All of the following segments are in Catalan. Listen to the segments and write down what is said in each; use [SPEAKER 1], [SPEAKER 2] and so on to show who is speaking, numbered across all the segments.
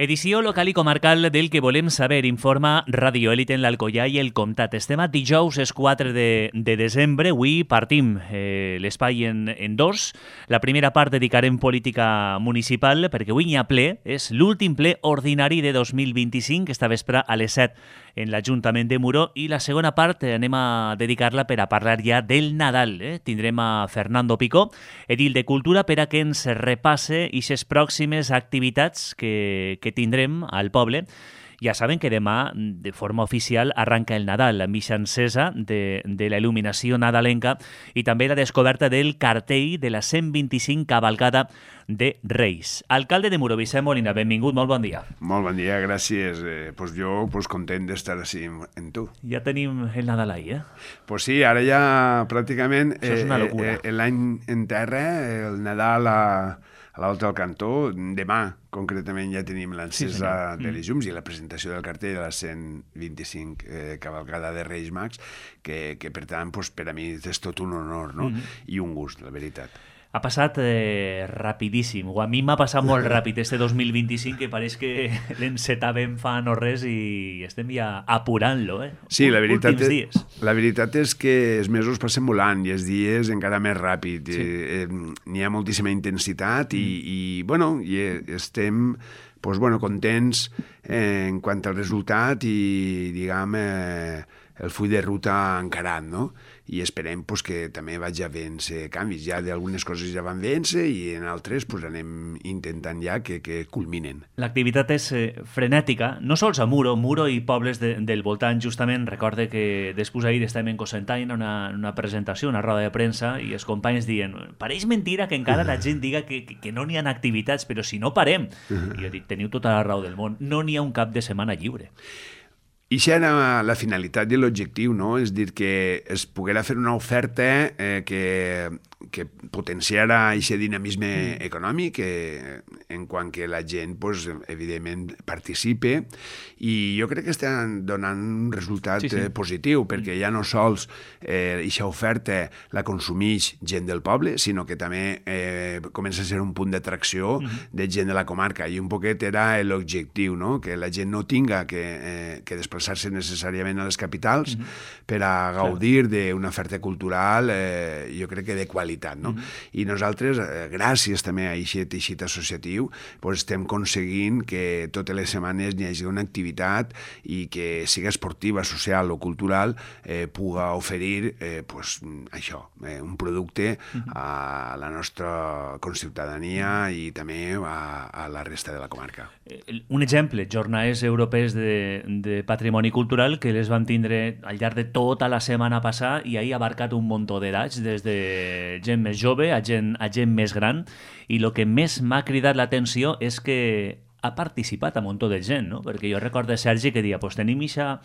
[SPEAKER 1] Edició local i comarcal del que volem saber, informa Radio Élite en l'Alcoià i el Comtat. Estem a dijous, és 4 de desembre. Avui partim l'espai en dos. La primera part dedicarem política municipal, perquè avui n'hi ha ple. És l'últim ple ordinari de 2025, esta vespre a les 7 en l'Ajuntament de Muro, i la segona part anem a dedicar-la per a parlar ja del Nadal. Tindrem a Fernando Picó, edil de Cultura, per a que ens repasse aquestes pròximes activitats que tindrem al poble. Ja saben que demà, de forma oficial, arranca el Nadal, amb eixa encesa de la il·luminació nadalenca i també la descoberta del cartell de la 125 cavalcada de Reis. Alcalde de Muro, Vicent Molina, benvingut, molt bon dia.
[SPEAKER 2] Molt bon dia, gràcies. Jo content d'estar així en tu.
[SPEAKER 1] Ja tenim el Nadal ahí,
[SPEAKER 2] Pues sí, ara ja pràcticament
[SPEAKER 1] això és una locura.
[SPEAKER 2] L'any en terra, el Nadal a l'Alta del Cantó, demà concretament ja tenim l'encesa de les llums i la presentació del cartell de la 125 cavalcada de Reis Mags, que per tant, per a mi és tot un honor, no? I un gust, la veritat.
[SPEAKER 1] Ha passat rapidíssim, o a mi m'ha passat molt ràpid este 2025, que pareix que l'encetàvem fa no res i estem ja apurant-lo,
[SPEAKER 2] Sí, la veritat és que els mesos passen volant i els dies encara més ràpid. Sí. N'hi ha moltíssima intensitat i estem contents en quant al resultat i, diguem, el full de ruta encarat, no? I esperem que també vagi a vèncer canvis. Ja d'algunes coses ja van vèncer i en altres anem intentant ja que culminen.
[SPEAKER 1] L'activitat és frenètica, no sols a Muro i pobles del voltant. Justament recorde que després ahir estàvem en Cocentaina, una presentació, una roda de premsa, i els companys diuen, pareix mentira que encara la gent diga que no n'hi ha activitats, però si no parem. I jo dic, teniu tota la raó del món, no n'hi ha un cap de setmana lliure.
[SPEAKER 2] I això era la finalitat i l'objectiu, no? És dir, que es poguera fer una oferta que potenciara aquest dinamisme econòmic en quant que la gent, evidentment, participe, i jo crec que estan donant un resultat positiu, perquè ja no sols aquesta oferta la consumeix gent del poble, sinó que també comença a ser un punt d'atracció de gent de la comarca, i un poquet era l'objectiu, no? Que la gent no tinga que desplaçar-se necessàriament a les capitals per a gaudir d'una oferta cultural, jo crec que de qualitat, no? I nosaltres, gràcies també a aquest teixit associatiu, estem aconseguint que totes les setmanes hi hagi una activitat i que siga esportiva, social o cultural, puga oferir això, un producte a la nostra conciutadania i també a la resta de la comarca.
[SPEAKER 1] Un exemple, jornades europees de patrimoni cultural que les van tindre al llarg de tota la setmana passada i ahir ha abarcat un muntó d'edats, des de gent més jove a gent més gran, i el que més m'ha cridat l'atenció és que ha participat un muntó de gent, no? Perquè jo recordo Sergi que deia, tenim això,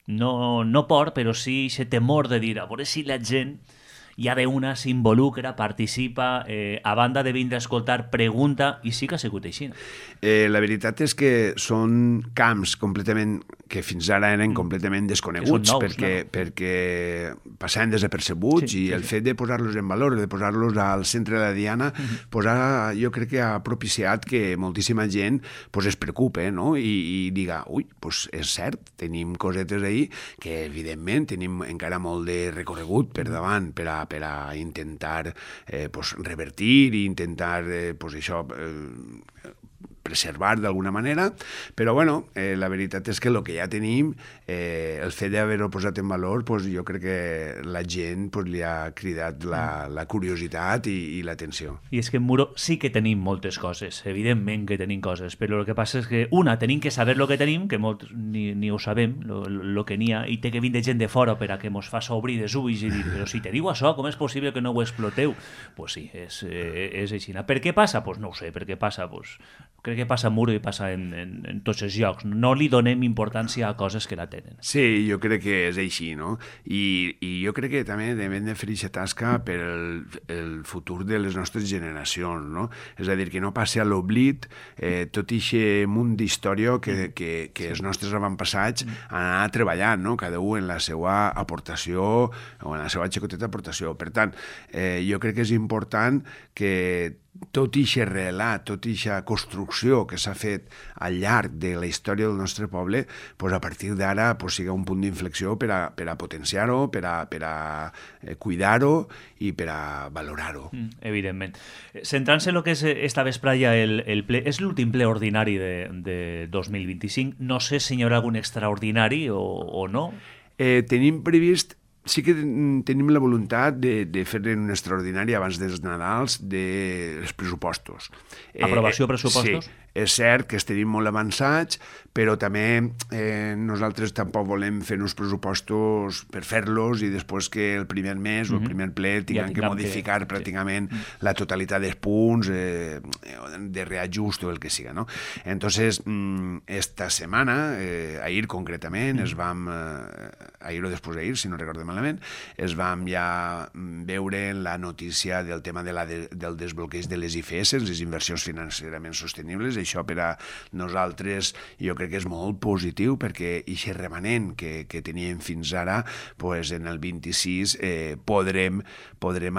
[SPEAKER 1] no por, però sí aquest temor de dir, a veure si la gent ja d'una s'involucra, participa, a banda de vindre a escoltar, pregunta, i sí que ha sigut així.
[SPEAKER 2] La veritat és que són camps completament que fins ara eren completament desconeguts, perquè passaven desapercebuts, i el fet de posar-los en valor, de posar-los al centre de la diana, jo crec que ha propiciat que moltíssima gent es preocupe, no? I diga, és cert, tenim cosetes ahí que evidentment tenim encara molt de recorregut per davant per a intentar revertir i intentar preservar d'alguna manera, però la veritat és que el que ja tenim, el fet d'haver-ho posat en valor, jo crec que la gent li ha cridat la curiositat i l'atenció.
[SPEAKER 1] I és que en Muro sí que tenim moltes coses, evidentment que tenim coses, però el que passa és que, tenim que saber el que tenim, que molts ni ho sabem, el que n'hi ha, i té que vindre gent de fora per a que mos faça obrir els ulls i dir, però si teniu això, com és possible que no ho exploteu? Pues sí, és així. Per què passa? No ho sé, per què passa? Crec que passa a Muro i passa en tots els llocs. No li donem importància a coses que la tenen.
[SPEAKER 2] Sí, jo crec que és així, no? I jo crec que també hem de fer aquesta tasca per el futur de les nostres generacions, no? És a dir, que no passi a l'oblit tot aquest munt d'història que els nostres avantpassats han anat treballant, no? Cada un en la seva aportació o en la seva xicoteta aportació. Per tant, jo crec que és important que tot ixe relat, tota aquesta construcció que s'ha fet al llarg de la història del nostre poble, pues a partir d'ara pues, siga un punt d'inflexió per a potenciar-ho, per a cuidar-ho i per a valorar-ho.
[SPEAKER 1] Evidentment. Centrant-se en el que és esta vespralla, el ple, és l'últim ple ordinari de 2025. No sé si hi haurà algun extraordinari o no.
[SPEAKER 2] Tenim previst, sí que tenim la voluntat de fer un extraordinari abans dels Nadals dels pressupostos.
[SPEAKER 1] Aprovació de pressupostos?
[SPEAKER 2] Sí, és cert que estem molt avançats, però també nosaltres tampoc volem fer uns pressupostos per fer-los i després que el primer mes o el primer ple tinguem que modificar pràcticament la totalitat dels punts de reajust o el que siga, no? Entonces, esta setmana, ahir concretament, ahir o després d'ahir, si no recordo malament, es vam ja veure la notícia del tema del desbloqueig de les IFS, les inversions financerament sostenibles. Això per a nosaltres jo crec que és molt positiu perquè aquest remanent que teníem fins ara, pues, en el 26 podrem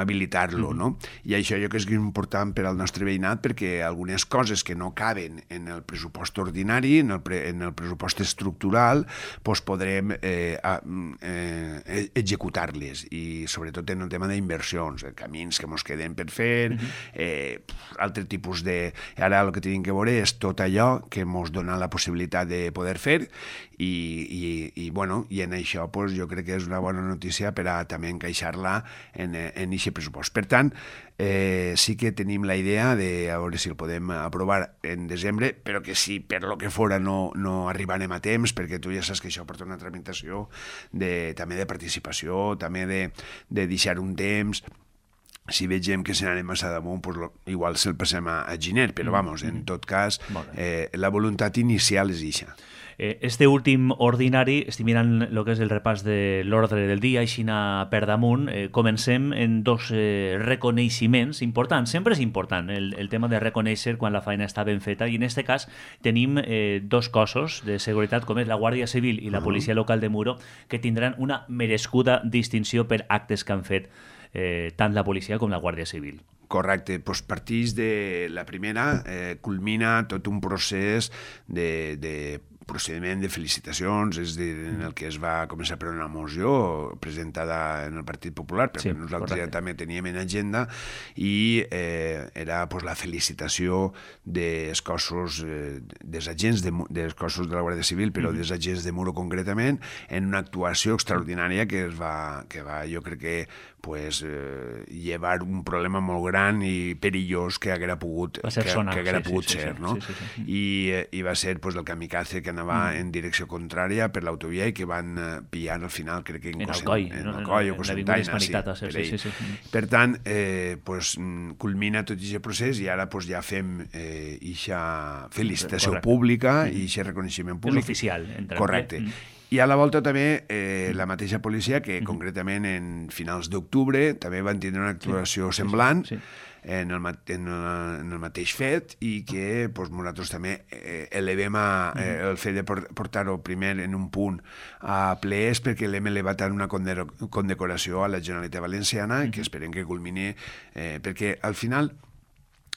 [SPEAKER 2] habilitar-lo, no? I això jo crec que és important per al nostre veïnat perquè algunes coses que no caben en el pressupost ordinari, en el pressupost estructural, pues, podrem executar-les, i sobretot en el tema d'inversions, camins que ens queden per fer, altre tipus de... Ara el que tenim que veure és tot allò que ens dona la possibilitat de poder fer i en això pues, jo crec que és una bona notícia per a també encaixar-la en aquest pressupost. Per tant, sí que tenim la idea de a veure si el podem aprovar en desembre, però que si per lo que fora no arribarem a temps, perquè tu ja saps que això porta una tramitació també de participació, també de deixar un temps. Si vegem que se n'anem massa damunt, pues, igual se'l passem a Giner, però vamos, en tot cas, la voluntat inicial és eixa.
[SPEAKER 1] Este últim ordinari, estic mirant el que és el repàs de l'ordre del dia, així per damunt, comencem en dos reconeixements importants. Sempre és important el tema de reconèixer quan la feina està ben feta, i en aquest cas tenim dos cossos de seguretat, com és la Guàrdia Civil i la Policia Local de Muro, que tindran una merescuda distinció per actes que han fet tant la policia com la Guàrdia Civil.
[SPEAKER 2] Correcte, doncs partix de la primera, culmina tot un procés de procediment de felicitacions, és a dir, en el que es va començar per una moció presentada en el Partit Popular, perquè nosaltres ja també teníem en agenda, i era la felicitació dels cossos, dels agents dels cossos de la Guàrdia Civil, però dels agents de Muro concretament, en una actuació extraordinària que va, jo crec que, llevar un problema molt gran i perillós que haguera pogut ser, no? I va ser el kamikaze que anava en direcció contrària per l'autovia i que van pillar al final, crec que en Alcoi o Cosentaina. Per tant, culmina tot aquest procés i ara ja fem aquesta felicitació pública i aquest reconeixement públic.
[SPEAKER 1] És oficial.
[SPEAKER 2] Correcte. I a la volta també la mateixa policia, que concretament en finals d'octubre també van tindre una actuació semblant en el mateix fet, i que nosaltres també elevem el fet de portar-ho primer en un punt a ple, és perquè l'hem elevat en una condecoració a la Generalitat Valenciana, que esperem que culmini, perquè al final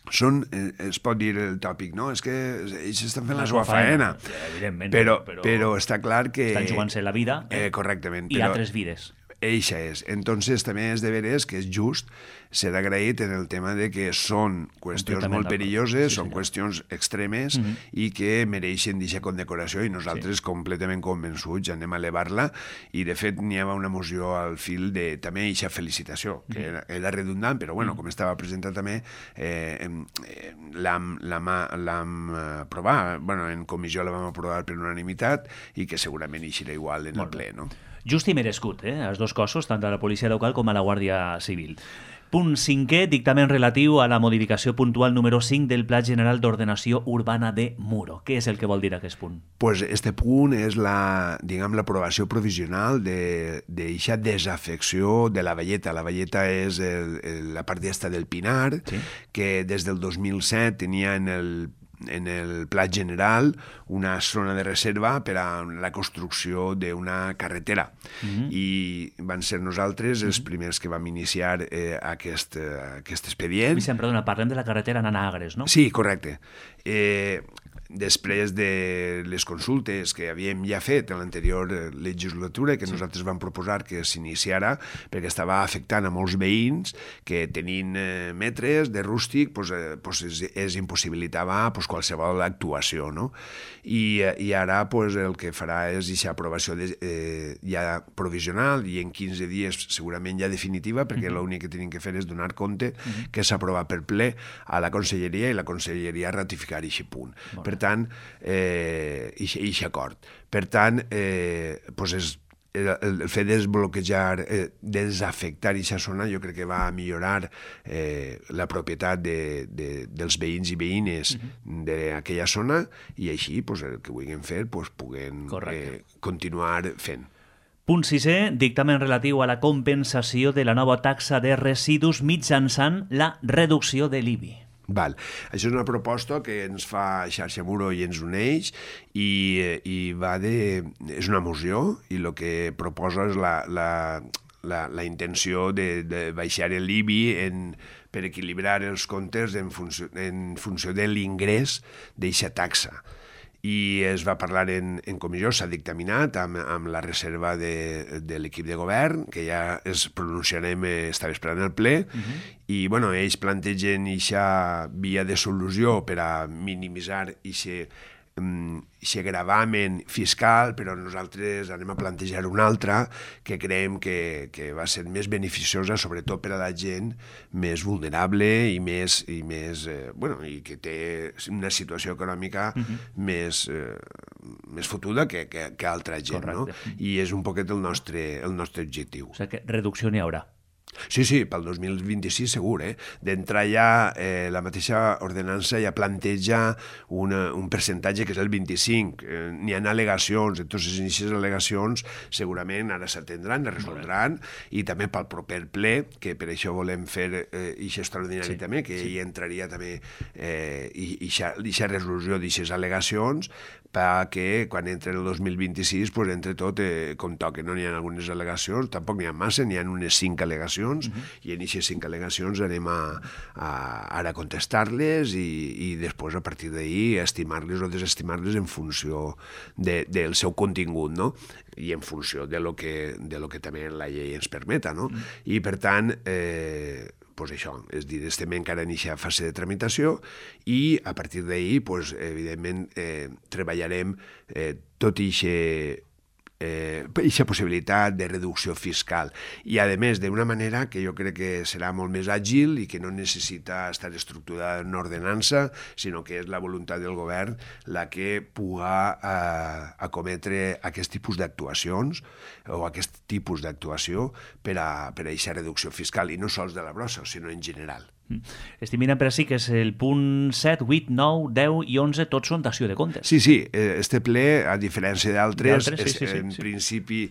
[SPEAKER 2] es pot dir el tòpic, no? És que ells estan fent la seva faena.
[SPEAKER 1] Evidentment.
[SPEAKER 2] Però està clar que...
[SPEAKER 1] Estan jugant-se la vida.
[SPEAKER 2] Correctament.
[SPEAKER 1] I altres vides.
[SPEAKER 2] Eixa és. Entonces també és de veres que és just ser agraït en el tema de que són qüestions molt perilloses, són qüestions extremes i que mereixen d'aquesta condecoració, i nosaltres completament convençuts anem a elevar-la, i de fet n'hi havia una moció al fil de també aquesta felicitació, que era redundant, però com estava presentat també l'hem aprovat, en comissió la vam aprovar per unanimitat i que segurament eixirà igual en el ple, no?
[SPEAKER 1] Just i merescut, els dos cossos, tant a la policia local com a la Guàrdia Civil. Punt 5è, dictamen relatiu a la modificació puntual número 5 del Pla General d'Ordenació Urbana de Muro. Què és el que vol dir aquest punt?
[SPEAKER 2] Pues este punt és l'aprovació provisional d'eixa desafecció de la velleta. La velleta és la part d'esta del Pinar, que des del 2007 tenia en el en el pla general una zona de reserva per a la construcció d'una carretera. I van ser nosaltres els primers que vam iniciar aquest expedient.
[SPEAKER 1] Vicent, perdona, parlem de la carretera anant a Agres, no?
[SPEAKER 2] Sí, correcte. Després de les consultes que havíem ja fet en l'anterior legislatura, que nosaltres vam proposar que s'iniciara, perquè estava afectant a molts veïns que tenint metres de rústic es impossibilitava qualsevol actuació, no? I ara el que farà és aquesta aprovació ja provisional i en 15 dies segurament ja definitiva, perquè l'únic que tenim que fer és donar compte que s'ha aprovat per ple a la Conselleria i la Conselleria ratificar aquest punt. Per tant, aquest acord. Per tant, el fet de desbloquejar, desafectar aquesta zona, jo crec que va millorar la propietat dels veïns i veïnes d'aquella zona i així el que vulguin fer puguen continuar fent.
[SPEAKER 1] Punt 6è, dictamen relatiu a la compensació de la nova taxa de residus mitjançant la reducció de l'IBI.
[SPEAKER 2] Val. Això és una proposta que ens fa Xarxa Muro i ens uneix i és una moció i el que proposa és la intenció de baixar l'IBI per equilibrar els comptes en funció de l'ingrés d'aquesta taxa. I es va parlar en comissió, s'ha dictaminat amb la reserva de l'equip de govern, que ja es pronunciarem, estava esperant el ple, i ells plantegen aquesta via de solució per a minimitzar aquest gravamen fiscal, però nosaltres anem a plantejar una altra que creiem que va ser més beneficiosa, sobretot per a la gent més vulnerable i que té una situació econòmica més fotuda que altra gent, no? I és un poquet el nostre objectiu.
[SPEAKER 1] O sigui que reducció n'hi haurà.
[SPEAKER 2] Sí, pel 2026 segur. D'entrar ja, la mateixa ordenança ja planteja un percentatge que és el 25. N'hi ha al·legacions, entonces aquestes al·legacions segurament ara s'atendran, es resoldran, i també pel proper ple, que per això volem fer aquest extraordinari també, que hi entraria també aquesta resolució d'aquestes al·legacions, perquè quan entre el 2026 entre tot com toca. No n'hi ha algunes al·legacions, tampoc n'hi ha massa, n'hi ha unes 5 al·legacions, i en aquestes 5 al·legacions anem ara a contestar-les i després a partir d'ahir estimar-les o desestimar-les en funció del seu contingut, no? I en funció de lo que també la llei ens permeta, no? I per tant, això, és a dir, estem encara en aquesta fase de tramitació i a partir d'ahir, evidentment, treballarem tot aquesta possibilitat de reducció fiscal i, a més, d'una manera que jo crec que serà molt més àgil i que no necessita estar estructurada en una ordenança, sinó que és la voluntat del govern la que puga acometre aquest tipus d'actuacions o aquest tipus d'actuació per a aquesta reducció fiscal, i no sols de la brossa, sinó en general.
[SPEAKER 1] Estic mirant per així que és el punt 7, 8, 9, 10 i 11, tots són dació de comptes.
[SPEAKER 2] Sí, este ple, a diferència d'altres, en principi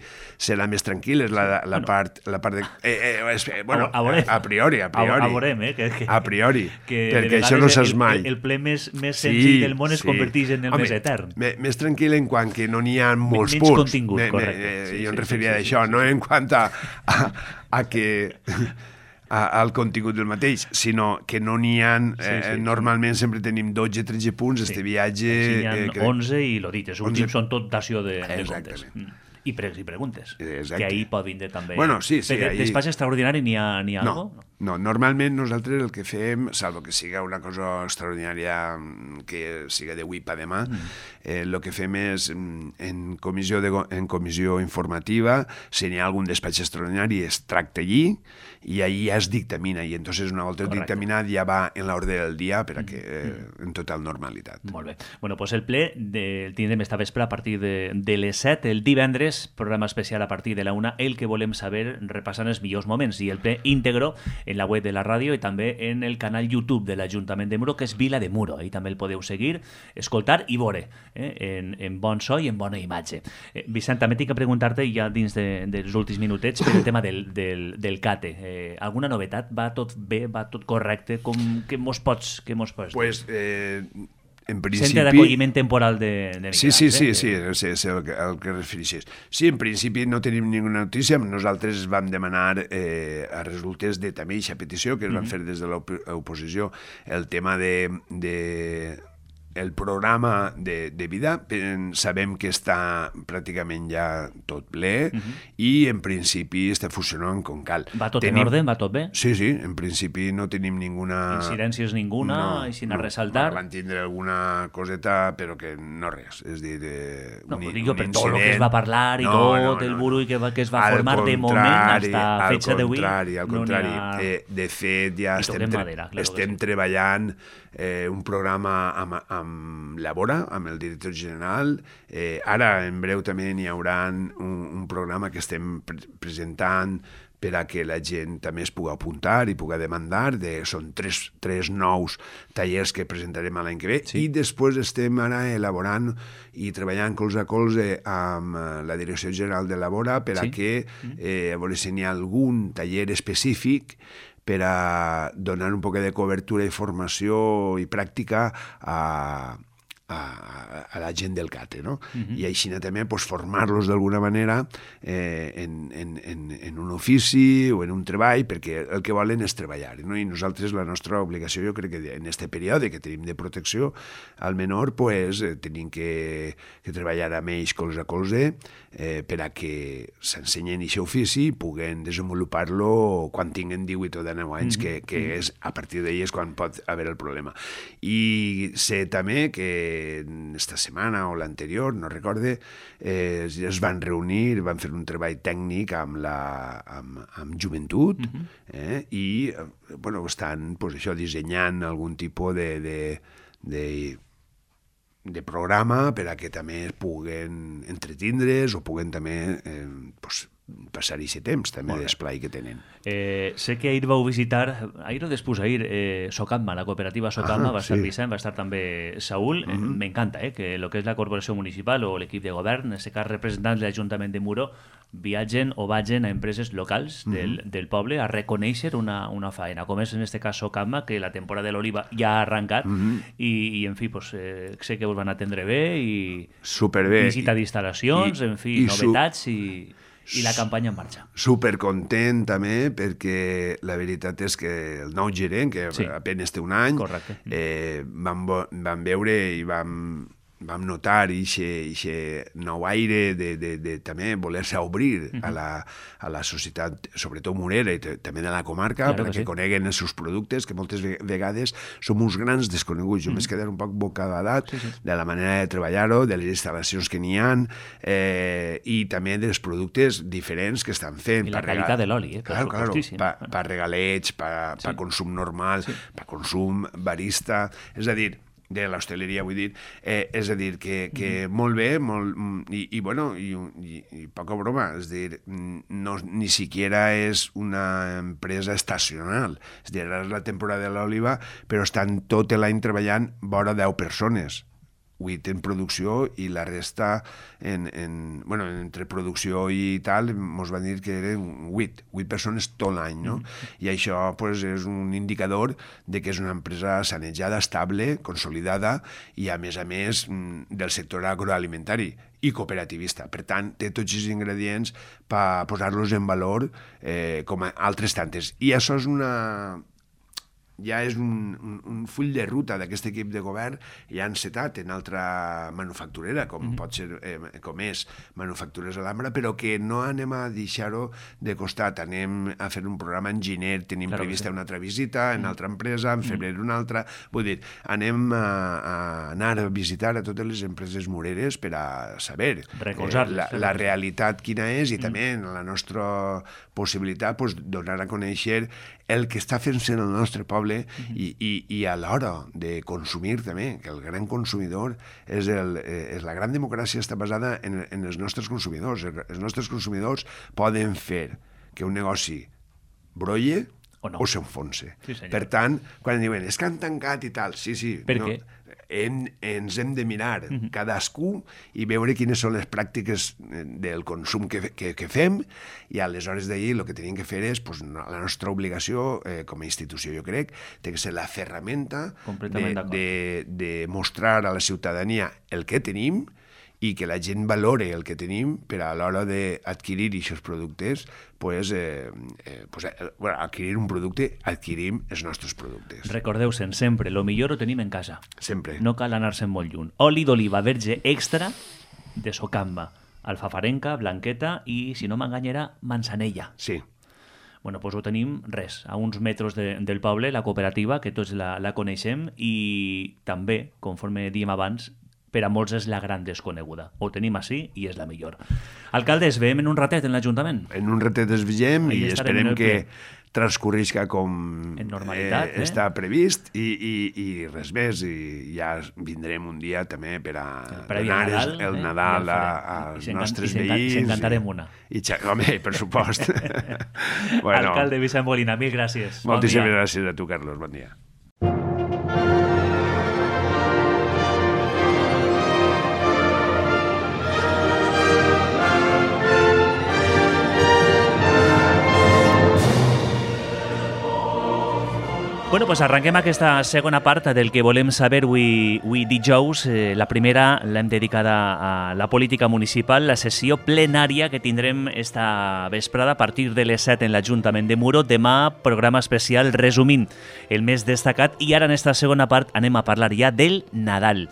[SPEAKER 2] serà més tranquil, és la part de... a priori. A priori, perquè això no saps mai.
[SPEAKER 1] El ple més senzill del món es converteix en el més etern.
[SPEAKER 2] Més tranquil en quant que no n'hi ha molts punts.
[SPEAKER 1] Menys contingut, correcte.
[SPEAKER 2] Jo em referia a això, no en quant a que... al contingut del mateix, sinó que no n'hi ha... Normalment sempre tenim 12-13 punts, este viatge...
[SPEAKER 1] N'hi ha 11 i l'ho dit, els últims són tot dació de comptes. I pregs i preguntes, que ahir pot vindre també.
[SPEAKER 2] Bueno, sí,
[SPEAKER 1] despatx extraordinari n'hi ha alguna?
[SPEAKER 2] No, normalment nosaltres el que fem, salvo que siga una cosa extraordinària que siga d'avui per demà, el que fem és en comissió informativa, si n'hi ha algun despatx extraordinari es tracta allí i ahí ja es dictamina, i entonces una volta dictaminat ja va en l'ordre del dia per a que en total normalitat.
[SPEAKER 1] Molt bé. Bueno, doncs el ple el tindrem esta vespre a partir de les 7, el divendres, programa especial a partir de la 1, el que volem saber repassant els millors moments, i el ple íntegro en la web de la ràdio i també en el canal YouTube de l'Ajuntament de Muro, que és Vila de Muro. Ahí també el podeu seguir, escoltar i veure en bon so i en bona imatge. Vicent, també tinc que preguntar-te ja dins dels últims minutets per el tema del CATE. Alguna novetat? Va tot bé? Va tot correcte? Què mos pots dir?
[SPEAKER 2] Pues, en principi...
[SPEAKER 1] Centre d'acolliment temporal de
[SPEAKER 2] Sí, és el que refereixes. Sí, en principi no tenim ninguna notícia. Nosaltres vam demanar a resultes de també aquesta petició que es van fer des de l'oposició el tema de el programa de vida. Sabem que està pràcticament ja tot ple i en principi està funcionant com cal.
[SPEAKER 1] Va tot en ordre? Va tot bé?
[SPEAKER 2] Sí, en principi no tenim ninguna...
[SPEAKER 1] Incidències ninguna, i sin a ressaltar?
[SPEAKER 2] Van tindre alguna coseta, però que no res. És dir,
[SPEAKER 1] no, digo, per tot el que es va parlar i tot el burull que es va formar de moment hasta fecha d'avui.
[SPEAKER 2] Al contrari. De fet, ja estem treballant un programa amb Labora, amb el director general. Ara, en breu, també n'hi haurà un programa que estem presentant per a que la gent també es pugui apuntar i pugui demandar. Són tres nous tallers que presentarem l'any que ve. Sí. I després estem ara elaborant i treballant colze a colze amb la Direcció General de Labora per a que, a veure si n'hi ha algun taller específic per a donar un poc de cobertura i formació i pràctica a la gent del CATE, no? I així també formar-los d'alguna manera en un ofici o en un treball, perquè el que volen és treballar, no? I nosaltres la nostra obligació, jo crec que en aquest període que tenim de protecció al menor, tenim que treballar amb ells colze a colze per a que s'ensenyen aquest ofici i puguen desenvolupar-lo quan tinguen 18 o 19 anys, que és a partir d'ells quan pot haver el problema. I sé també que esta setmana o l'anterior, no recorde, es van reunir, van fer un treball tècnic amb joventut i estan dissenyant algun tipus de programa per a que també puguen entretindre's o puguen també passar aquest temps també d'esplai que tenen.
[SPEAKER 1] Sé que ahir vau visitar, ahir o després ahir, Socamma, la cooperativa Socamma, va estar Vicent, va estar també Saúl. M'encanta que el que és la corporació municipal o l'equip de govern, en aquest cas representants de l'Ajuntament de Muro, viatgen o vagin a empreses locals del poble a reconèixer una faena, com és en aquest cas Socamma, que la temporada de l'oliva ja ha arrencat i en fi, sé que us van atendre bé i visita d'instal·lacions, en fi, novetats i la campanya en marxa.
[SPEAKER 2] Supercontent també perquè la veritat és que el nou gerent, que apenas té un any, vam veure i vam notar aquest nou aire de també voler-se obrir a la societat, sobretot murera i també de la comarca, perquè coneguen els seus productes, que moltes vegades som uns grans desconeguts. Jo m'he quedat un poc bocabadat de la manera de treballar-ho, de les instal·lacions que n'hi ha i també dels productes diferents que estan fent.
[SPEAKER 1] I la qualitat de l'oli,
[SPEAKER 2] per regalets, per consum normal, per consum barista, és a dir, de l'hostaleria, vull dir, és a dir, que molt bé, i poca broma, és a dir, ni siquiera és una empresa estacional, és a dir, ara és la temporada de l'oliva, però estan tot l'any treballant vora 10 persones, 8 en producció i la resta entre producció i tal ens van dir que eren 8 persones tot l'any, no? I això és un indicador de que és una empresa sanejada, estable, consolidada i a més del sector agroalimentari i cooperativista. Per tant, té tots els ingredients per posar-los en valor com altres tantes. I això ja és un full de ruta d'aquest equip de govern ja encetat en altra manufacturera, com pot ser, com és Manufactures Alhambra, però que no anem a deixar-ho de costat. Anem a fer un programa en gener, tenim prevista una altra visita en altra empresa, en febrer una altra. Vull dir, anem a anar a visitar a totes les empreses mureres per a saber la realitat quina és i també la nostra possibilitat donar a conèixer el que està fent-se en el nostre poble i a l'hora de consumir també, que el gran consumidor és la gran democràcia està basada en els nostres consumidors. Els nostres consumidors poden fer que un negoci brolle
[SPEAKER 1] no?
[SPEAKER 2] o s'enfonsa.
[SPEAKER 1] Sí, senyor.
[SPEAKER 2] Per tant, quan diuen, és que han tancat i tal, sí.
[SPEAKER 1] Per què?
[SPEAKER 2] Ens hem de mirar cadascú i veure quines són les pràctiques del consum que fem, i aleshores d'ahir el que tenim que fer és, pues, la nostra obligació com a institució, jo crec, té que ser la ferramenta de mostrar a la ciutadania el que tenim i que la gent valore el que tenim per a l'hora d'adquirir aquests productes, adquirir un producte, adquirim els nostres productes.
[SPEAKER 1] Recordeu-se'n sempre, lo millor ho tenim en casa.
[SPEAKER 2] Sempre.
[SPEAKER 1] No cal anar-se'n molt lluny. Oli d'oliva verge extra de Socamba, alfafarenca, blanqueta i, si no m'enganyarà, manzanella.
[SPEAKER 2] Sí.
[SPEAKER 1] Bueno, doncs ho tenim, a uns metres del poble, la cooperativa, que tots la coneixem, i també, conforme diem abans, per a molts és la gran desconeguda. Ho tenim així i és la millor. Alcalde, es veiem en un ratet en l'Ajuntament.
[SPEAKER 2] En un ratet es veiem i esperem que transcorrisca com
[SPEAKER 1] en normalitat,
[SPEAKER 2] està previst i res més. I ja vindrem un dia també per a donar el Nadal als nostres veïns.
[SPEAKER 1] I s'encantarem una.
[SPEAKER 2] Home, per supost.
[SPEAKER 1] Alcalde Vicent Molina, mil gràcies.
[SPEAKER 2] Moltíssimes gràcies a tu, Carlos. Bon dia.
[SPEAKER 1] Bueno, pues arrenquem aquesta segona part del que volem saber avui dijous. La primera l'hem dedicada a la política municipal, la sessió plenària que tindrem esta vesprada a partir de les 7 en l'Ajuntament de Muro. Demà, programa especial resumint el més destacat, i ara en esta segona part anem a parlar ja del Nadal.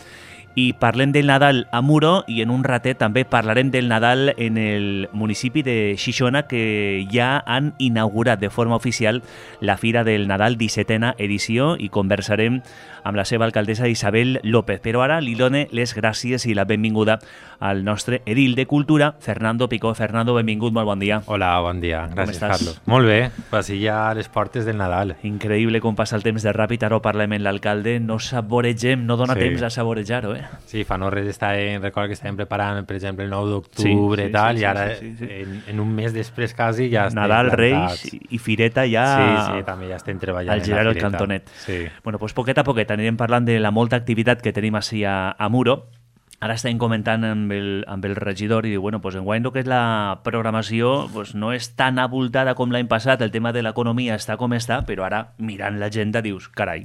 [SPEAKER 1] I parlem del Nadal a Muro i en un ratet també parlarem del Nadal en el municipi de Xixona, que ja han inaugurat de forma oficial la Fira del Nadal 17a edició, i conversarem amb la seva alcaldessa Isabel López. Però ara li done les gràcies i la benvinguda al nostre edil de Cultura, Fernando Picó. Fernando, benvingut, molt bon dia.
[SPEAKER 3] Hola, bon dia. Gràcies, Carlos. Molt bé, pues ja a les portes del Nadal.
[SPEAKER 1] Increïble com passa el temps de ràpid. Ara ho parlem amb l'alcalde. No saboregem, no dona temps a saborejar-ho,
[SPEAKER 3] Sí, fa no res recordo que estàvem preparant, per exemple, el 9 d'octubre i tal, i ara en un mes després quasi ja estem
[SPEAKER 1] Nadal, Reis i Fireta ja...
[SPEAKER 3] Sí, també ja estem treballant
[SPEAKER 1] al girar el cantonet.
[SPEAKER 3] Sí.
[SPEAKER 1] Bueno, doncs poquet a poquet anirem parlant de la molta activitat que tenim així a Muro. Ara estem comentant amb el regidor i diu, bueno, pues enguany el que és la programació pues no és tan abultada com l'any passat, el tema de l'economia està com està, però ara mirant l'agenda dius, carai,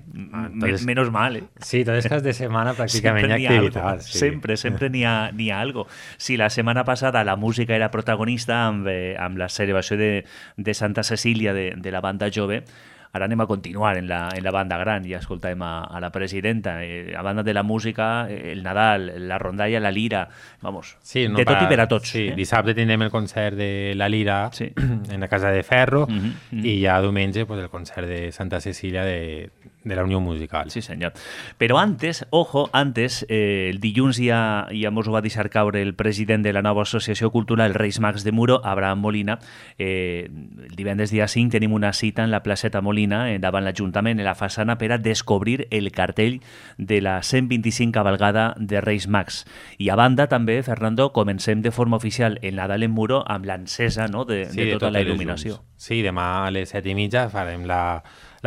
[SPEAKER 1] menos mal,
[SPEAKER 3] Sí, tots els caps de setmana pràcticament hi ha activitats.
[SPEAKER 1] Sí. Sempre n'hi ha algo. Si la setmana passada la música era protagonista amb la celebració de Santa Cecília de la banda jove, ara anem a continuar en la banda gran. Ja escoltàvem a la presidenta. A banda de la música, el Nadal, la rondalla, la lira, vamos,
[SPEAKER 3] sí,
[SPEAKER 1] de tot i per a tots.
[SPEAKER 3] Sí, dissabte tindrem el concert de la Lira en la Casa de Ferro i ja diumenge pues, el concert de Santa Cecília de la Unió Musical.
[SPEAKER 1] Sí, senyor. Però antes, el dilluns ja mos ho va deixar caure el president de la nova associació cultural Reis Mags de Muro, Abraham Molina. El divendres dia 5 tenim una cita en la placeta Molina, davant l'Ajuntament, en la façana, per a descobrir el cartell de la 125 cabalgada de Reis Mags. I a banda també, Fernando, comencem de forma oficial el Nadal en Muro amb l'encesa de tota la il·luminació.
[SPEAKER 3] Sí, demà a les 7:30 farem la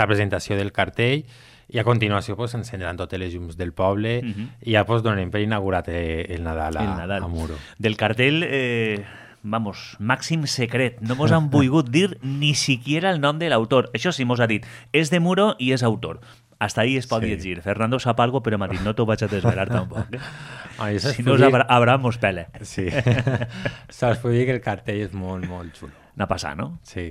[SPEAKER 3] presentació del cartell i a continuació pues, encendran totes les llums del poble i ja pues, donarem per inaugurat el Nadal a Muro.
[SPEAKER 1] Del cartell... màxim secret. No mos han volgut dir ni siquiera el nom de l'autor. Això sí, mos ha dit, és de Muro i és autor. Hasta ahí es pot llegir. Fernando sap algo, però m'ha dit, no t'ho vaig a desvelar tampoc. Si no, Abraham mos pele.
[SPEAKER 3] Sí. Saps, puc dir que el cartell és molt, molt xulo.
[SPEAKER 1] N'ha passat, no?
[SPEAKER 3] Sí.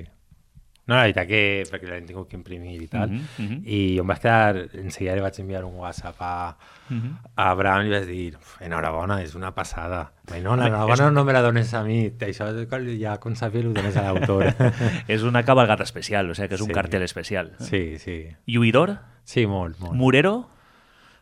[SPEAKER 3] No, la veritat que, perquè l'hem tingut que imprimir i tal, i em vaig quedar, enseguida li vaig enviar un WhatsApp a Abraham i li vaig dir, enhorabona, és una passada. No, l'enhorabona no me la dones a mi, això ja com sabia ho dones a l'autor.
[SPEAKER 1] És una cabalgata especial, o sigui que és un cartell especial.
[SPEAKER 3] Sí, sí.
[SPEAKER 1] Lluïdor?
[SPEAKER 3] Sí, molt.
[SPEAKER 1] Murero?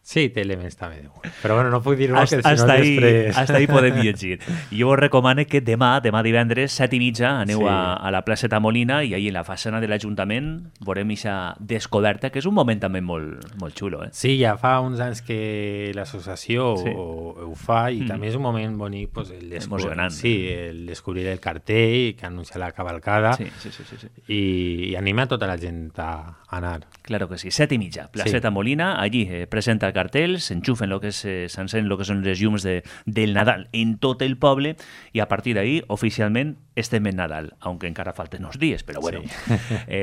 [SPEAKER 3] Sí, té elements també de humor. Però bueno, no puc dir-ho que si no
[SPEAKER 1] després... Hasta ahí podem llegir. Jo us recomano que demà divendres, 7:30, aneu a la placeta Molina i ahí en la façana de l'Ajuntament veurem aquesta descoberta, que és un moment també molt xulo.
[SPEAKER 3] Sí, ja fa uns anys que l'associació ho fa i també és un moment bonic
[SPEAKER 1] emocionant.
[SPEAKER 3] Sí, el descobrir el cartell que anuncia la cavalcada i anima a tota la gent a anar.
[SPEAKER 1] Claro que sí, 7:30, placeta Molina, allí presenta el cartel, s'enxufen s'encenen lo que són les llums del Nadal en tot el poble i a partir d'ahí oficialment estem en Nadal, aunque encara falten uns dies, però bueno.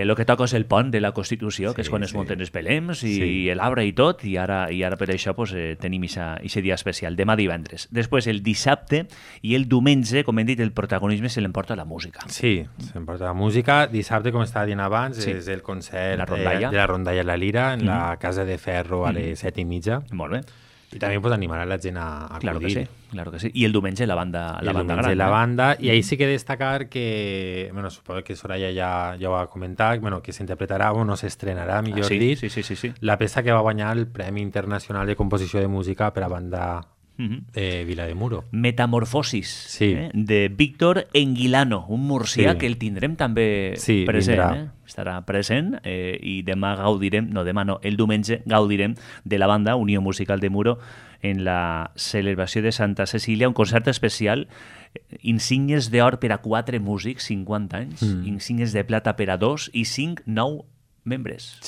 [SPEAKER 1] Lo que toca és el pont de la Constitució, que és quan es munten els belems i l'arbre i tot, i ara per això tenim aquest dia especial, demà divendres. Després el dissabte i el diumenge, com hem dit, el protagonisme se l'emporta la música.
[SPEAKER 3] Sí, s'emporta la música. Dissabte, com estava dient abans, és el concert de la Rondalla La Lira en la Casa de Ferro a les 7:30.
[SPEAKER 1] Molt bé.
[SPEAKER 3] I també animar a la gent a acudir.
[SPEAKER 1] Claro que sí. I el diumenge la banda gran.
[SPEAKER 3] La banda, i ahí sí que destacar que, bueno, suposo que Soraya ja ho va comentar, bueno, que s'interpretarà o no s'estrenarà, millor dit, la peça que va guanyar el Premi Internacional de Composició de Música per a banda de Vilademuro.
[SPEAKER 1] Metamorfosis, de Víctor Enguilano, un murcià que el tindrem també present. Estarà present i demà el diumenge gaudirem de la banda Unió Musical de Muro en la celebració de Santa Cecília, un concert especial, insígnies d'or per a 4 músics, 50 anys, insígnies de plata per a 2 i 5 nous membres.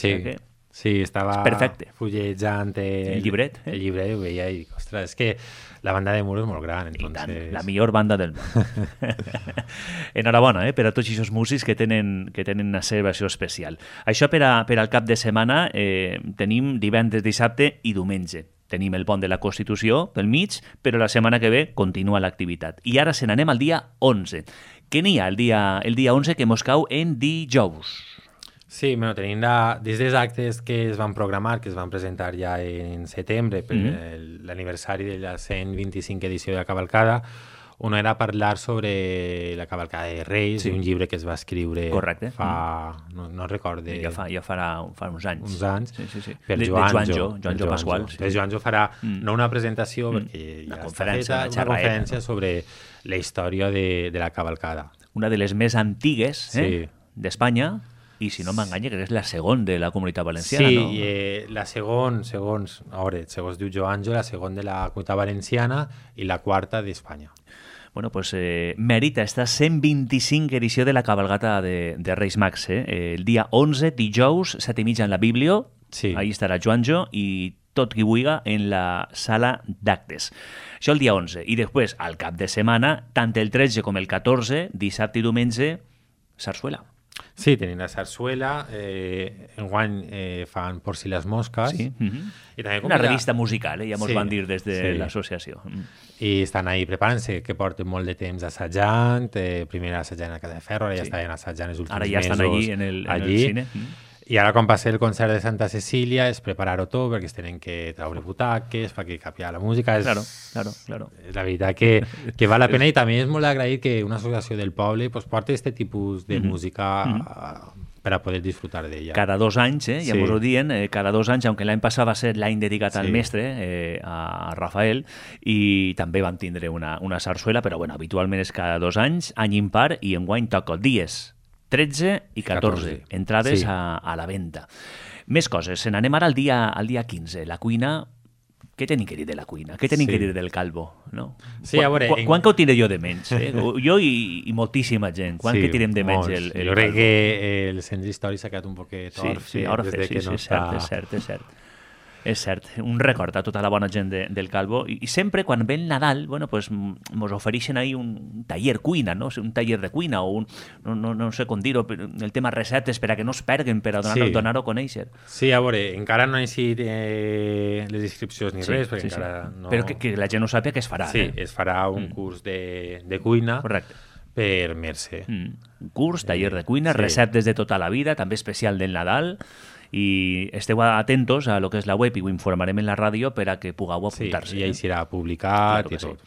[SPEAKER 3] Sí, estava fullejant el
[SPEAKER 1] llibret.
[SPEAKER 3] El llibret, ho veia i, ostres, és que la banda de Muro és molt gran.
[SPEAKER 1] Entonces... la millor banda del món. Enhorabona per a tots aquests músics que tenen una celebració especial. Això per al cap de setmana tenim divendres, dissabte i diumenge. Tenim el pont de la Constitució pel mig, però la setmana que ve continua l'activitat. I ara se n'anem al dia 11. Què n'hi ha el dia 11 que mos cau en dijous?
[SPEAKER 3] Sí, bueno, tenim des dels actes que es van programar, que es van presentar ja en setembre per l'aniversari de la 125 edició de la Cavalcada. Uno era parlar sobre la Cavalcada de Reis, un llibre que es va escriure fa... no recordo...
[SPEAKER 1] Ja farà uns anys.
[SPEAKER 3] Uns anys.
[SPEAKER 1] Sí.
[SPEAKER 3] Per
[SPEAKER 1] Joanjo Pasqual.
[SPEAKER 3] Per Joanjo farà no una presentació, perquè ja està feta, una conferència sobre la història de la Cavalcada.
[SPEAKER 1] Una de les més antigues d'Espanya, i si no m'enganya, que és la segona de la Comunitat Valenciana, no?
[SPEAKER 3] Sí, la segons diu Joanjo, la segona de la Comunitat Valenciana i la quarta d'Espanya.
[SPEAKER 1] Bueno, pues merita esta 125 edició de la cabalgata de Reis Mags. El dia 11, dijous, 7:30 en la Biblio, ahí estarà Joanjo i tot qui vulgui en la sala d'actes. Això el dia 11. I després, al cap de setmana, tant el 13 com el 14, dissabte i diumenge, sarsuela.
[SPEAKER 3] Sí, tenim la sarsuela, enguany fan Por si les mosques.
[SPEAKER 1] Sí. I també una revista musical, ja mos van dir des de l'associació.
[SPEAKER 3] I estan ahí preparant-se, que porten molt de temps assajant, primer assajant a Casa de Ferro, ara ja estaven assajant els últims mesos.
[SPEAKER 1] Ara ja estan allí en el cine.
[SPEAKER 3] I ara, quan passa el concert de Santa Cecília, és preparar-ho tot, perquè es tenen que treure butaques, perquè capia la música.
[SPEAKER 1] Claro.
[SPEAKER 3] És la veritat que val la pena, i també és molt agraït que una associació del poble porti aquest tipus de música per a poder disfrutar d'ella.
[SPEAKER 1] Cada 2 anys, ja mos ho dient, cada 2 anys, aunque l'any passat va ser l'any dedicat al mestre, a Rafael, i també van tindre una sarsuela, però bueno, habitualment és cada 2 anys, any impar, i enguany toca dies 13 i 14, entrades a la venda. Més coses, se n'anem ara al dia 15. La cuina, què tenim que dir de la cuina? Què tenim que dir del calvo? No?
[SPEAKER 3] Sí, a veure...
[SPEAKER 1] Quan que ho tiré jo de menys? Jo i moltíssima gent. Quan que tirem de menys el calvo?
[SPEAKER 3] Jo crec que el sens històric s'ha quedat un poquet orfe.
[SPEAKER 1] És cert. És cert, un record a tota la bona gent del Calvo, i sempre quan ve el Nadal, bueno, pues mos ofereixen ahí un taller cuina, no? Un taller de cuina, o no sé com dir-ho, el tema receptes per a que no es perguen, per a donar-ho a conèixer.
[SPEAKER 3] Sí, a veure, encara no he llegit les inscripcions ni res, perquè encara no...
[SPEAKER 1] Però que la gent no sàpiga que es farà.
[SPEAKER 3] Sí, es farà un curs de cuina.
[SPEAKER 1] Correcte.
[SPEAKER 3] Per Mercè.
[SPEAKER 1] Un curs, taller de cuina, receptes de tota la vida, també especial del Nadal, i esteu atentos a lo que és la web i ho informarem en la ràdio per a que pugueu apuntar-se.
[SPEAKER 3] I ahí serà publicat i tot.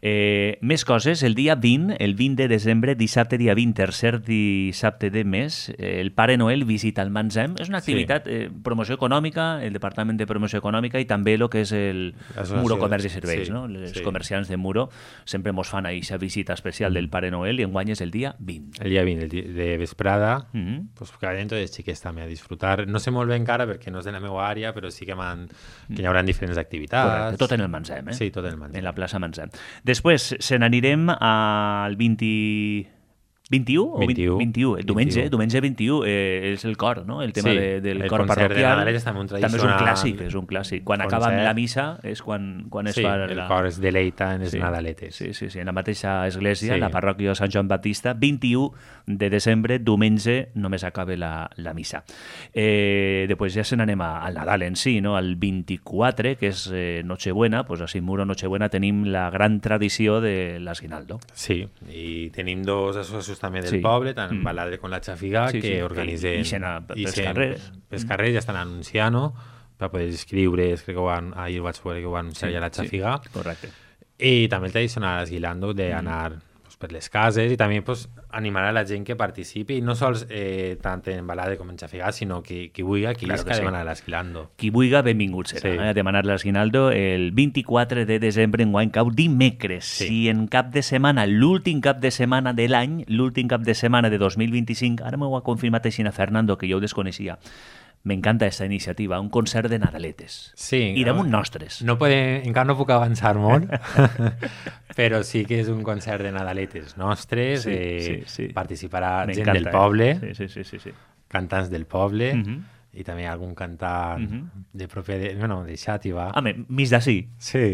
[SPEAKER 1] Més coses, el dia 20, el 20 de desembre, dissabte dia 20, tercer dissabte de mes, el Pare Noel visita el Manzem. És una activitat, promoció econòmica, el Departament de Promoció Econòmica i també el que és el Muro Comerç i Serveis. No? Els comerciants de Muro sempre mos fan aquesta visita especial del Pare Noel i enguany és el dia 20.
[SPEAKER 3] El dia 20, el dia de vesprada, pues que vayan tots els xiquets també a disfrutar. No sé molt bé encara perquè no és de la meva àrea, però sí que hi haurà diferents activitats.
[SPEAKER 1] Correcte, tot en el Manzem,
[SPEAKER 3] Sí, tot en el Manzem.
[SPEAKER 1] En la plaça Manzem. Després se n'anirem al 21 o 21, el diumenge 21 és el cor, no? El tema del cor parroquial.
[SPEAKER 3] També
[SPEAKER 1] és un clàssic. Quan acaba la missa és quan es fa...
[SPEAKER 3] el cor es deleita en els Nadaletes.
[SPEAKER 1] Sí, en la mateixa església, la parròquia de Sant Joan Baptista, 21 de desembre, diumenge, només acaba la missa. Després ja se n'anem al Nadal en si, no? Al 24, que és Nochebuena, pues a Simuro Nochebuena tenim la gran tradició de l'Aguinaldo.
[SPEAKER 3] Sí, i tenim dos associacions també del poble, tant Baladre com la Xafiga, que organitzen...
[SPEAKER 1] pels carrers.
[SPEAKER 3] Pels carrers ja estan anunciant-ho, per poder escriure, crec que ahir vaig veure que ho va anunciar ja la Xafiga.
[SPEAKER 1] Correcte.
[SPEAKER 3] I també el tradicional esguilando d'anar per les cases i també animar a la gent que participi, i no sols tant en Baladre com en Xafiga, sinó qui vulgui, qui isca a demanar l'esguilando.
[SPEAKER 1] Qui vulgui, benvingut serà a demanar l'esguinaldo el 24 de desembre, enguany cau dimecres. Si en cap de setmana, l'últim cap de setmana de l'any, l'últim cap de setmana de 2025, ara m'ho ha confirmat així a Fernando, que jo ho desconeixia, m'encanta aquesta iniciativa, un concert de Nadaletes.
[SPEAKER 3] Sí.
[SPEAKER 1] I damunt nostres.
[SPEAKER 3] Encara no puc avançar molt, però sí que és un concert de Nadaletes nostres. Participarà gent del poble, cantants del poble, i també algun cantant de Xàtiva.
[SPEAKER 1] Home, mig d'ací.
[SPEAKER 3] Sí.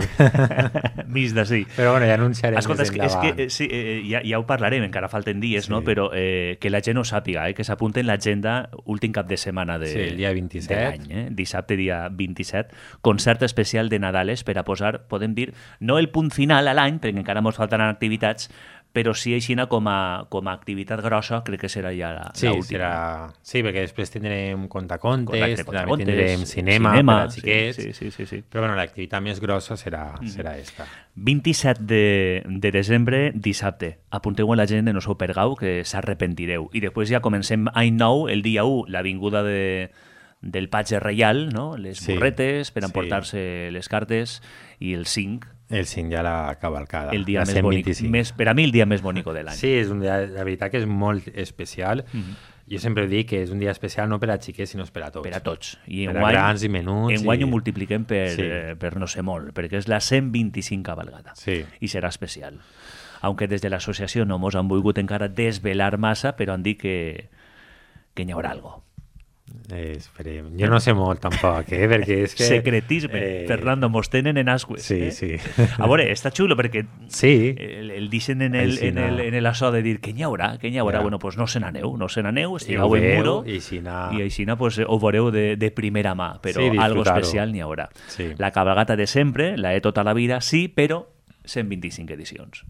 [SPEAKER 1] Mig d'ací.
[SPEAKER 3] Però ja anunciarem
[SPEAKER 1] més
[SPEAKER 3] endavant.
[SPEAKER 1] És que ja ho parlarem, encara falten dies, no? Però que la gent ho sàpiga, que s'apunti en l'agenda últim cap de setmana
[SPEAKER 3] el dia 27.
[SPEAKER 1] de l'any. Dissabte, dia 27, concert especial de Nadales per a posar, podem dir, no el punt final a l'any, perquè encara ens faltaran activitats, però sí aixina com a activitat grossa, crec que serà ja l'última.
[SPEAKER 3] Sí, perquè després tindrem contacontes, també tindrem cinema per a xiquets,
[SPEAKER 1] sí.
[SPEAKER 3] Però l'activitat més grossa serà esta.
[SPEAKER 1] 27 de desembre, dissabte. Apunteu a la gent en el seu pergau, que s'arrepentireu. I després ja comencem any nou, el dia 1, l'avinguda del Patge Reial, no? Les burretes per emportar-se les cartes, i el 5,
[SPEAKER 3] el 5 ja la cavalcada.
[SPEAKER 1] El dia més bonic. Per a mi, el dia més bonic de l'any.
[SPEAKER 3] Sí, és un dia, la veritat que és molt especial. Jo sempre dic que és un dia especial no per a xiquets, sinó per a tots.
[SPEAKER 1] Per a tots.
[SPEAKER 3] I per a grans i menuts.
[SPEAKER 1] Enguany ho multipliquem per no sé molt, perquè és la 125 cavalgada.
[SPEAKER 3] Sí.
[SPEAKER 1] I serà especial. Aunque des de l'associació no mos han volgut encara desvelar massa, però han dit que n'hi haurà alguna cosa.
[SPEAKER 3] Esperem. Jo no sé molt tampoc, perquè és que...
[SPEAKER 1] Secretisme. Fernando, mos tenen en ascues.
[SPEAKER 3] Sí.
[SPEAKER 1] A veure, està xulo perquè el deixen en l'assò de dir que n'hi haurà. Bueno, doncs no se n'aneu, estigueu en Muro i així ho veureu de primera mà, però algo especial n'hi haurà. La cabalgata de sempre, la de tota la vida, sí, però 125 edicions.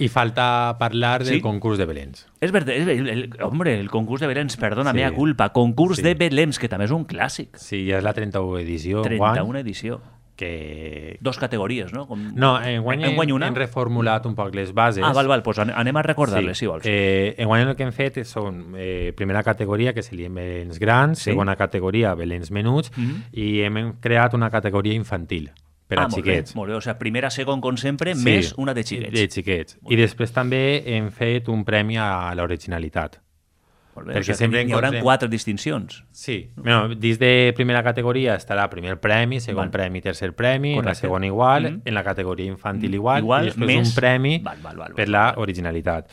[SPEAKER 3] I falta parlar del concurs de Belens.
[SPEAKER 1] És veritat, el concurs de Belens, perdona, mea culpa. Concurs de Belens, que també és un clàssic.
[SPEAKER 3] Sí, ja és la 31 edició.
[SPEAKER 1] 31 edició.
[SPEAKER 3] Que...
[SPEAKER 1] Dos categories, no?
[SPEAKER 3] No, enguany hem reformulat un poc les bases.
[SPEAKER 1] Val, doncs anem a recordar-les, si vols.
[SPEAKER 3] Enguany el que hem fet són primera categoria, que serien Belens grans, segona categoria, Belens menuts, i hem creat una categoria infantil. Per a xiquets.
[SPEAKER 1] Molt bé, o sigui, primera, segon, com sempre, més una de xiquets.
[SPEAKER 3] De xiquets. I després també hem fet un premi a l'originalitat.
[SPEAKER 1] Molt bé, perquè sempre hi haurà 4 distincions.
[SPEAKER 3] Sí. Bueno, dins de primera categoria estarà primer premi, segon premi, tercer premi, en la segona igual, en la categoria infantil igual, i després un premi per l'originalitat.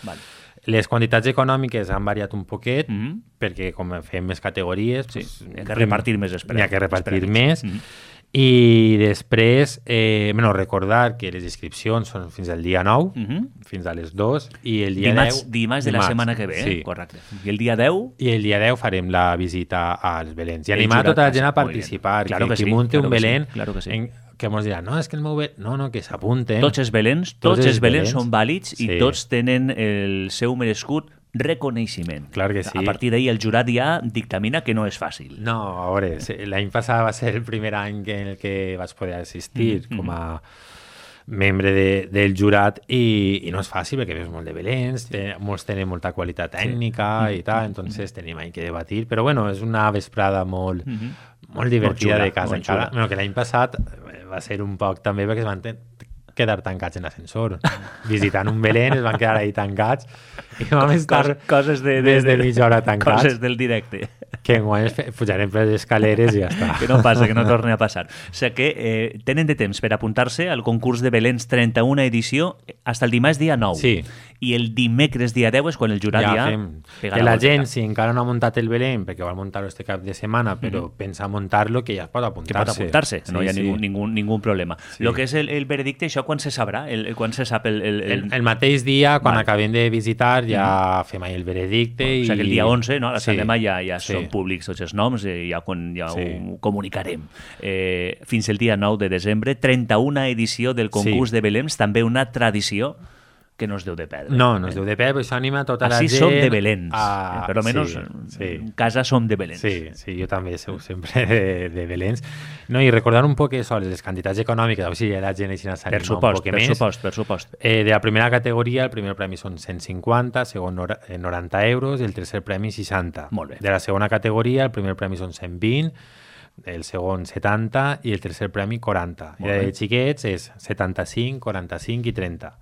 [SPEAKER 3] Les quantitats econòmiques han variat un poquet, perquè com fem més categories...
[SPEAKER 1] N'hi ha que repartir més.
[SPEAKER 3] N'hi ha que repartir més. I després, recordar que les inscripcions són fins al dia 9, fins a les 2, i el dia 10...
[SPEAKER 1] Dimarts de la setmana que ve, correcte. I el dia 10?
[SPEAKER 3] I el dia 10 farem la visita als Belens. I animar tota la gent a participar, que munti un Belén, que ens diran, no, és que el meu Belén... No, que s'apunten.
[SPEAKER 1] Tots els Belens són vàlids i tots tenen el seu merescut reconeixement.
[SPEAKER 3] Clar que sí.
[SPEAKER 1] A partir d'ahir el jurat ja dictamina que no és fàcil.
[SPEAKER 3] No, a veure, l'any passat va ser el primer any en el que vaig poder assistir com a membre del jurat i no és fàcil perquè veus molt de Belens, molts tenen molta qualitat tècnica i tal, entonces tenim ahí que debatir, però bueno, és una vesprada molt divertida de casa encara. Bueno, que l'any passat va ser un poc també perquè es van quedar tancats en l'ascensor. Visitant un Belén es van quedar ahí tancats i vam estar
[SPEAKER 1] coses
[SPEAKER 3] des de mitja hora tancats.
[SPEAKER 1] Coses del directe.
[SPEAKER 3] Que enguany pujarem per les escaleres i ja està.
[SPEAKER 1] Que no passa, que no torni a passar. O sigui que tenen de temps per apuntar-se al concurs de Belens 31 edició fins el dimarts dia 9.
[SPEAKER 3] Sí.
[SPEAKER 1] I el dimecres dia 10 és quan el jurat ja
[SPEAKER 3] que la gent, si encara no ha muntat el Belén, perquè vol muntar-lo este cap de setmana, però pensa muntar-lo, que ja pot apuntar-se.
[SPEAKER 1] Que pot apuntar-se, no hi ha ningú problema. Lo que és el veredicte, això quan se sabrà? Quan se sap
[SPEAKER 3] el mateix dia, quan acabem de visitar, ja fem ahí el veredicte.
[SPEAKER 1] O sigui que el dia 11, no? A la Sant Demà ja són públics tots els noms, ja ho comunicarem. Fins el dia 9 de desembre, 31a edició del concurs de Belens, també una tradició que no es deu de perdre.
[SPEAKER 3] No es deu de perdre, però això anima tota la gent...
[SPEAKER 1] Així som de Belens, per almenys en casa som de Belens.
[SPEAKER 3] Sí, jo també sou sempre de Belens. No, i recordar un poc això, les quantitats econòmiques, a veure si la gent així s'anima un poc més.
[SPEAKER 1] Per supost.
[SPEAKER 3] De la primera categoria, el primer premi són 150, segon 90 euros i el tercer premi 60.
[SPEAKER 1] Molt bé.
[SPEAKER 3] De la segona categoria, el primer premi són 120, el segon 70 i el tercer premi 40. I de xiquets és 75, 45 i 30.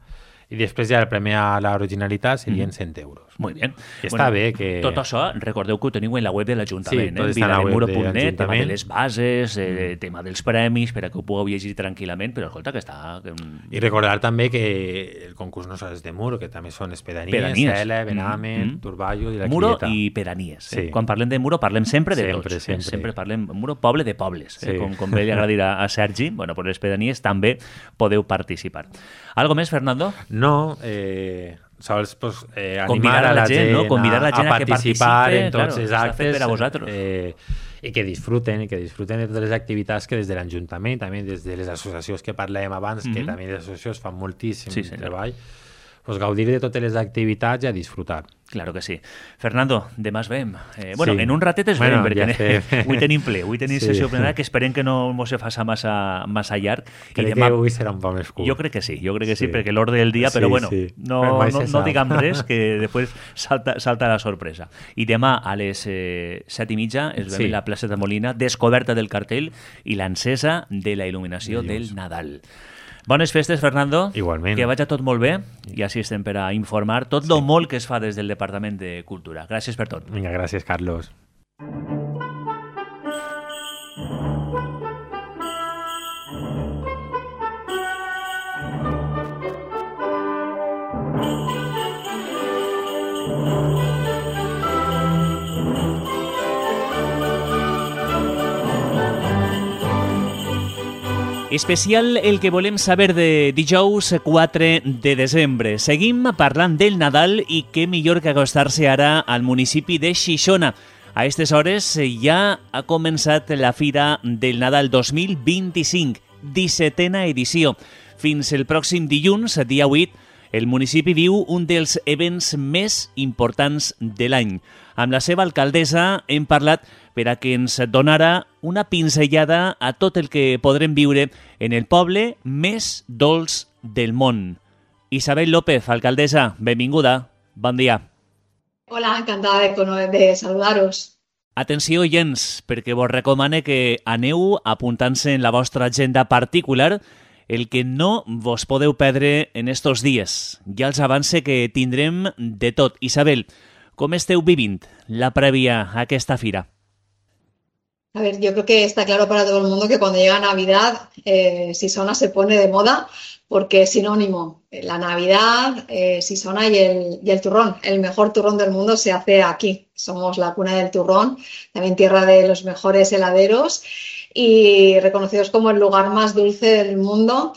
[SPEAKER 3] I després ja el premi a l'originalitat serien 100 euros.
[SPEAKER 1] Molt bé.
[SPEAKER 3] Està bé que...
[SPEAKER 1] Tot això, recordeu que ho teniu en la web de l'Ajuntament.
[SPEAKER 3] Sí, està en la web de l'Ajuntament.
[SPEAKER 1] Tema de les bases, tema dels premis, per a que ho pugueu llegir tranquil·lament, però escolta, que està...
[SPEAKER 3] I recordar també que el concurs no és de Muro, que també són les pedanies, Cela, Benamen, Turballo i la
[SPEAKER 1] Muro
[SPEAKER 3] Quilleta.
[SPEAKER 1] i pedanies. Quan parlem de Muro, parlem sempre de tots.
[SPEAKER 3] Sempre
[SPEAKER 1] parlem Muro, poble de pobles. Com bé li agradirà a Sergi, bueno, per les pedanies també podeu participar. Algo més, Fernando?
[SPEAKER 3] No, sols pues, animar a la gent,
[SPEAKER 1] ¿no? Convidar a la gent
[SPEAKER 3] a participar en tots els actes
[SPEAKER 1] per a vosaltres.
[SPEAKER 3] I que disfruten de totes les activitats que des de l'Ajuntament, també des de les associacions que parlem abans, que també les associacions fan moltíssim treball, pues, gaudir de totes les activitats i a disfrutar.
[SPEAKER 1] Claro que sí. Fernando, demà es veiem. En un ratet es veiem, perquè avui tenim ple, avui tenim sessió plenària, que esperem que no mos se faça massa llarg.
[SPEAKER 3] Crec que avui serà un poc més curt.
[SPEAKER 1] Jo crec que sí, perquè l'ordre del dia, però no diguem res, que després salta la sorpresa. I demà a les 7:30 es veiem la plaça de Molina, descoberta del cartell i l'encesa de la il·luminació del Nadal. Bones festes, Fernando.
[SPEAKER 3] Igualment.
[SPEAKER 1] Que vagi tot molt bé i així estem per a informar tot el molt que es fa des del Departament de Cultura. Gràcies per tot.
[SPEAKER 3] Vinga, gràcies, Carlos.
[SPEAKER 1] Especial el que volem saber de dijous 4 de desembre. Seguim parlant del Nadal i què millor que acostar-se ara al municipi de Xixona. A aquestes hores ja ha començat la Fira del Nadal 2025, 17a edició. Fins el pròxim dilluns, dia 8, el municipi viu un dels events més importants de l'any. Amb la seva alcaldessa hem parlat per a que ens donara una pinzellada a tot el que podrem viure en el poble més dolç del món. Isabel López, alcaldessa, benvinguda. Bon dia.
[SPEAKER 4] Hola, encantada de saludaros.
[SPEAKER 1] Atenció, oients, perquè vos recomane que aneu apuntant-se en la vostra agenda particular el que no vos podeu perdre en estos dies. Ja els avance que tindrem de tot. Isabel, com esteu vivint la prèvia a aquesta fira?
[SPEAKER 4] A ver, yo creo que está claro para todo el mundo que cuando llega Navidad, Sisona se pone de moda porque es sinónimo. La Navidad, Sisona y el turrón. El mejor turrón del mundo se hace aquí. Somos la cuna del turrón, también tierra de los mejores heladeros y reconocidos como el lugar más dulce del mundo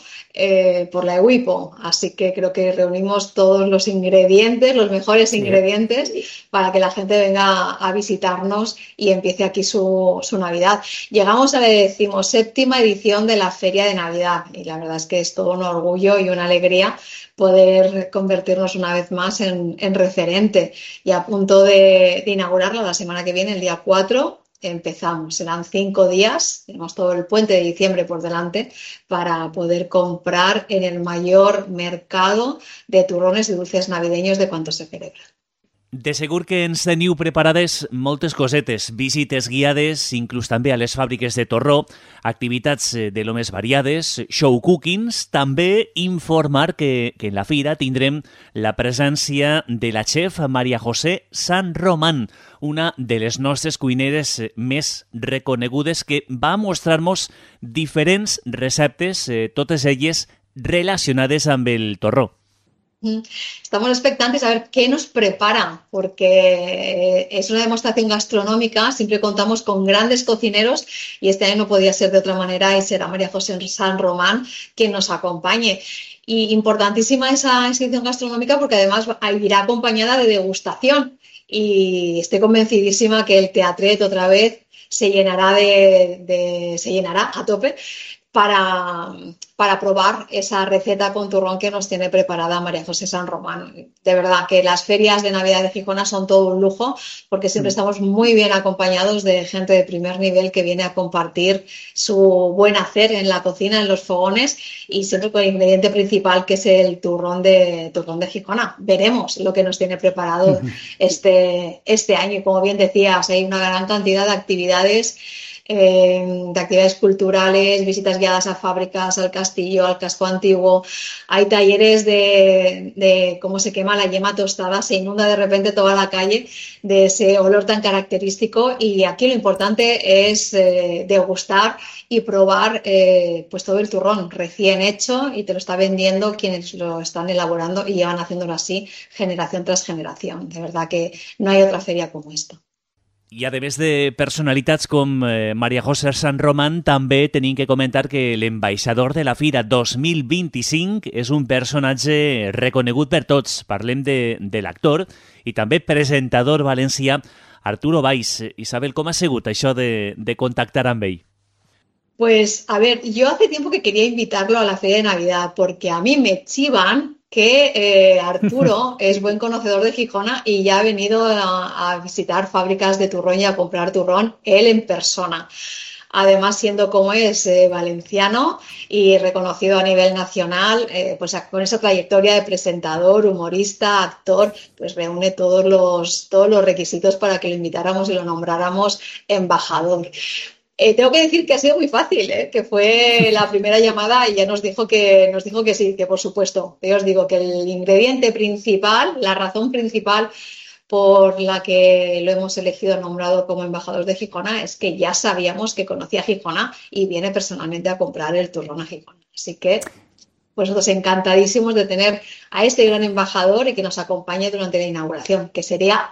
[SPEAKER 4] por la EWIPO. Así que creo que reunimos todos los ingredientes, los mejores ingredientes, para que la gente venga a visitarnos y empiece aquí su Navidad. Llegamos a la 17ª edición de la Feria de Navidad y la verdad es que es todo un orgullo y una alegría poder convertirnos una vez más en referente. Y a punto de inaugurarla la semana que viene, el día 4, empezamos. Serán 5 días, tenemos todo el puente de diciembre por delante para poder comprar en el mayor mercado de turrones y dulces navideños de cuanto se celebra.
[SPEAKER 1] De segur que ens teniu preparades moltes cosetes, visites guiades, inclús també a les fàbriques de torró, activitats de lo més variades, show cookings, també informar que en la fira tindrem la presència de la chef María José San Román, una de les nostres cuineres més reconegudes, que va mostrar-nos diferents receptes, totes elles relacionades amb el torró.
[SPEAKER 4] Estamos expectantes a ver qué nos prepara, porque es una demostración gastronómica, siempre contamos con grandes cocineros y este año no podía ser de otra manera y será María José San Román quien nos acompañe. Y importantísima esa inscripción gastronómica porque además irá acompañada de degustación y estoy convencidísima que el Teatret otra vez se llenará se llenará a tope para probar esa receta con turrón que nos tiene preparada María José San Román. De verdad que las ferias de Navidad de Gijona son todo un lujo porque siempre estamos muy bien acompañados de gente de primer nivel que viene a compartir su buen hacer en la cocina, en los fogones y siempre con el ingrediente principal que es el turrón de Gijona. Veremos lo que nos tiene preparado este año y como bien decías, hay una gran cantidad de actividades culturales, visitas guiadas a fábricas, al castillo, al casco antiguo. Hay talleres de cómo se quema la yema tostada, se inunda de repente toda la calle de ese olor tan característico y aquí lo importante es degustar y probar pues todo el turrón recién hecho y te lo está vendiendo quienes lo están elaborando y llevan haciéndolo así generación tras generación. De verdad que no hay otra feria como esta.
[SPEAKER 1] I a més de personalitats com María José San Román, també tenim que comentar que l'ambaixador de la Fira 2025 és un personatge reconegut per tots. Parlem de l'actor i també presentador valencià Arturo Valls. Isabel, com ha sigut això de contactar amb ell?
[SPEAKER 4] Pues, a ver, yo hace tiempo que quería invitarlo a la Feria de Navidad porque a mí me chivan que Arturo es buen conocedor de Gijona y ya ha venido a visitar fábricas de turrón y a comprar turrón él en persona. Además, siendo como es valenciano y reconocido a nivel nacional, pues con esa trayectoria de presentador, humorista, actor, pues reúne todos los requisitos para que lo invitáramos y lo nombráramos embajador. Tengo que decir que ha sido muy fácil, que fue la primera llamada y ya nos dijo que sí, que por supuesto. Yo os digo que el ingrediente principal, la razón principal por la que lo hemos elegido nombrado como embajador de Gijona es que ya sabíamos que conocía Gijona y viene personalmente a comprar el turrón a Gijona. Así que pues nosotros encantadísimos de tener a este gran embajador y que nos acompañe durante la inauguración, que será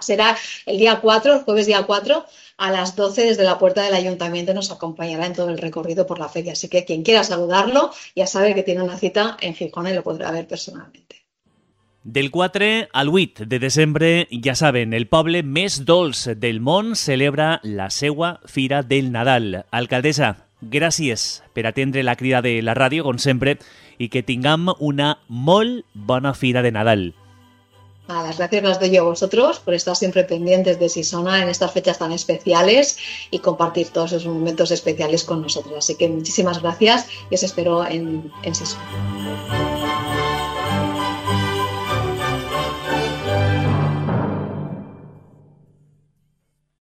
[SPEAKER 4] el día 4, el jueves día 4, a las 12 desde la puerta del ayuntamiento nos acompañará en todo el recorrido por la feria. Así que quien quiera saludarlo ya sabe que tiene una cita en Gijona y lo podrá ver personalmente.
[SPEAKER 1] Del 4 al 8 de desembre, ja saben, el poble més dolç del món celebra la seua Fira del Nadal. Alcaldessa, gràcies per atendre la crida de la ràdio, com sempre, y que tengamos una molt bona Fira de Nadal.
[SPEAKER 4] Las gracias las doy yo a vosotros por estar siempre pendientes de Sisona en estas fechas tan especiales y compartir todos esos momentos especiales con nosotros. Así que muchísimas gracias y os espero en Sisona.